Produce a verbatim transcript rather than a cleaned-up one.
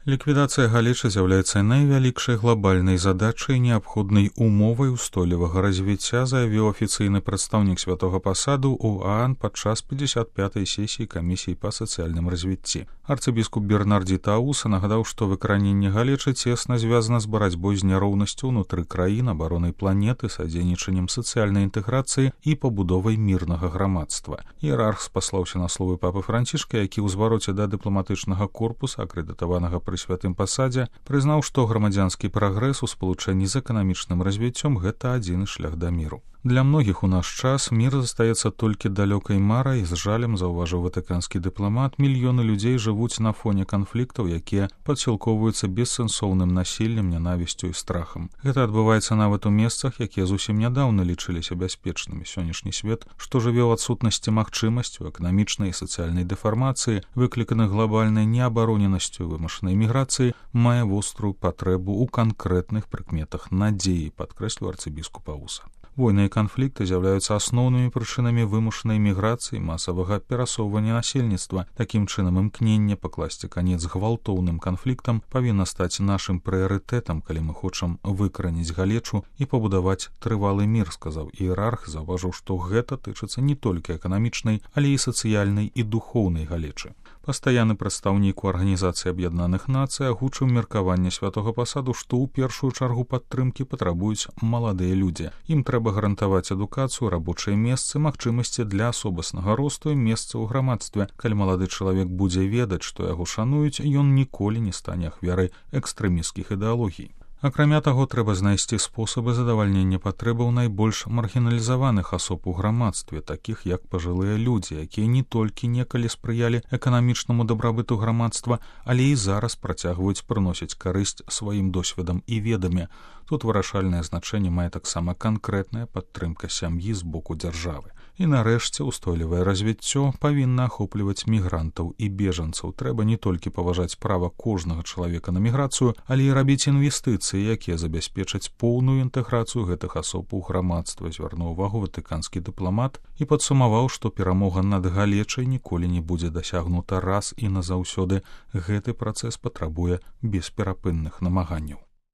Ліквідацыя галечы з'яўляецца найвялікшай глобальнай задачай, неабходнай умовай устойлівага развіцця, заявіў афіцыйны прадстаўнік святога пасаду ў ААН падчас пятьдесят пятай сесіі камісіі па сацыяльным развіцці. Арцыбіскуп Бернардзі Тауса нагадаў, што выкараненне галечы цесна звязана з барацьбой з няроўнасцю ўнутры краін, абаронай планеты, садзейнічаннем сацыяльнай інтэграцыі і пабудовай мірнага грамадства. Іерарх спаслаўся на словы папы Францішка, які ў звароце да дыпламатычнага корпуса, акрэдытаванага пры святым пасадзе, прызнаў, што грамадзянскі прагрэс у спалучэнні з эканамічным развіццём гэта адзіны шлях да міру. Для многіх у наш час мір застаецца толькі далёкай марай, з жалем заўважыў ватыканскі дыпламат, мільёны людзей жывуць на фоне канфліктаў, якія падсілкоўваюцца бессэнсоўным насіллем, нянавісцю і страхам. Гэта адбываецца нават у месцах, якія зусім нядаўна лічыліся бяспечнымі. Сённяшні свет, што жыве ў адсутнасці магчымасцю, эканамічнай і сацыяльнай дэфармацыі, выкліканых глобальнай неабароненасцю, вымушанай міграцыі, мае вострую патрэбу ў канкрэтных прыкметах надзеі, падкрэсліў арцыбіскуп Ауса. Войны і канфлікты з'яўляюцца асноўнымі прычынамі вымушанай міграцыі, масавага перасоўвання насельніцтва. Такім чынам, імкненне пакласці канец гвалтоўным канфліктам павінна стаць нашым прыярытэтам, калі мы хочам выкараніць галечу і пабудаваць трывалы мір, сказаў іерарх, заўважыў, што гэта тычыцца не толькі эканамічнай, але і сацыяльнай і духоўнай галечы. Пастаянны прадстаўнік у Арганізацыі Аб'яднаных Нацый агучыў меркаванне святога пасаду, што ў першую чаргу падтрымкі патрабуюць маладыя людзі. Ім трэба гарантаваць адукацыю, рабочыя месцы, магчымасці для асобаснага росту і месца ў грамадстве. Калі малады чалавек будзе ведаць, што яго шануюць, ён ніколі не стане ахвярай экстрэмісцкіх ідэалогій. Акрамя таго, трэба знайсці спосабы задавальнення патрэбаў найбольш маргіналізаваных асоб у грамадстве, такіх як пажылыя людзі, якія не толькі некалі спрыялі эканамічнаму дабрабыту грамадства, але і зараз працягваюць прыносіць карысць сваім досведам і ведамі. Тут вырашальнае значэнне мае таксама канкрэтная падтрымка сям'і з боку дзяржавы. І нарэшце устойлівае развіццё павінна ахопліваць мігрантаў і бежанцаў. Трэба не толькі паважаць права кожнага чалавека на міграцыю, але і рабіць інвестыцыі, якія забяспечаць поўную інтэграцыю гэтых асоб у грамадства, звярнуў увагу ватыканскі дыпламат і падсумаваў, што перамога над галечай ніколі не будзе дасягнута раз і назаўсёды. Гэты працэс патрабуе бесперапынных намаганняў.